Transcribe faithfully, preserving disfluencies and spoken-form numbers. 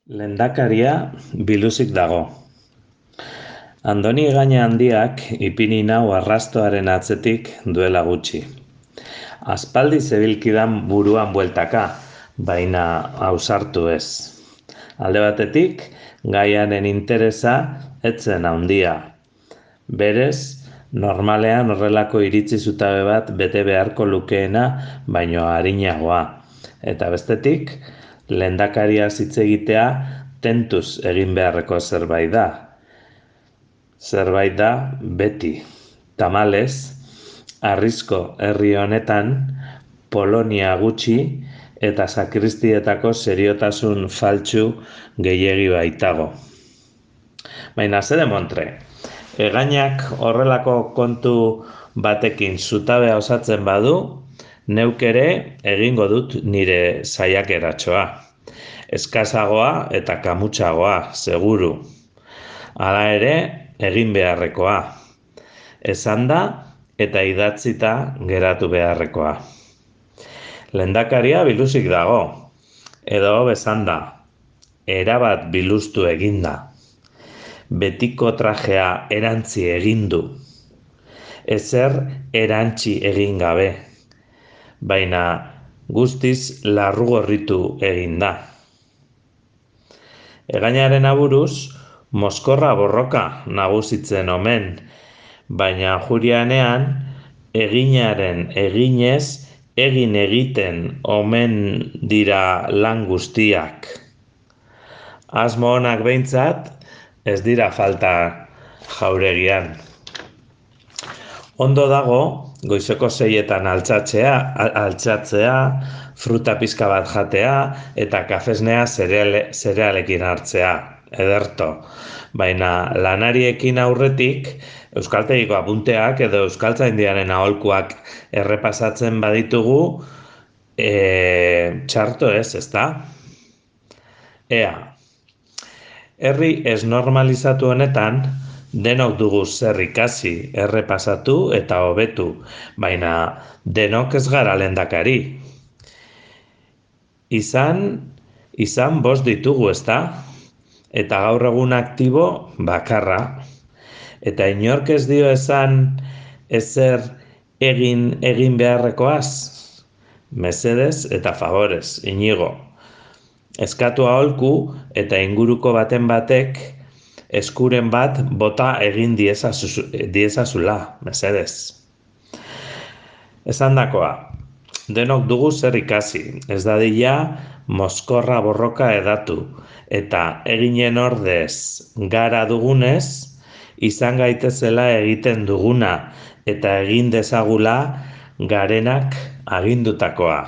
Lehendakaria biluzik dago. Andoni Egaña handiak ipini nau arrastoaren atzetik duela gutxi. Aspaldi zebilkidan buruan bueltaka, baina ausartu ez. Alde batetik, gaiaren interesa etzen handia. Berez, normalean horrelako iritzi zutabe bat bete beharko lukeena baino arinagoa. Eta bestetik, lehendakariaz hitz egitea tentuz egin beharreko zerbait da. Zerbait da beti. Tamalez, harrizko herri honetan Polonia gutxi eta sakristietako seriotasun faltsu gehiegi baitago. Baina zer demontre, Egañak horrelako kontu batekin zutabea osatzen badu, neuk ere egingo dut nire saiakeratxoa. Eskasagoa eta kamutsagoa, seguru. Hala ere, egin beharrekoa. Esanda eta idatzita geratu beharrekoa. Lehendakaria biluzik dago, edo bezanda, erabat biluztu eginda. Betiko trajea erantzi egin du. Ezer erantzi egin gabe, baina guztiz larrugorritu egin da. Egañaren aburuz, mozkorra borroka nagusitzen omen, baina jurianean eginaren eginez egin egiten omen dira lan guztiak. Asmo onak behintzat ez dira falta jauregian. Ondo dago, goizeko seietan altxatzea, altxatzea, fruta pizka bat jatea eta kafesnea zereale, zerealekin hartzea, ederto. Baina lanariekin aurretik, euskaltegiko apunteak edo euskaltzaindiaren aholkuak errepasatzen baditugu, e, txarto ez, ezta? Ea, herri ez normalizatu honetan, denok dugu zer ikasi, errepasatu eta hobetu, baina denok ez gara lehendakari. Izan, izan bost ditugu, ezta? Eta gaur egun aktibo bakarra. Eta inork ez dio esan ezer egin egin beharrekoaz. Mesedez eta favorez, Inigo. Eskatu aholku eta inguruko baten batek eskuren bat bota egin diezazula, mesedez. Esandakoa, denok dugu zer ikasi, ez dadila mozkorra borroka edatu, eta eginen ordez gara dugunez, izan gaitezela egiten duguna, eta egin dezagula garenak agindutakoa.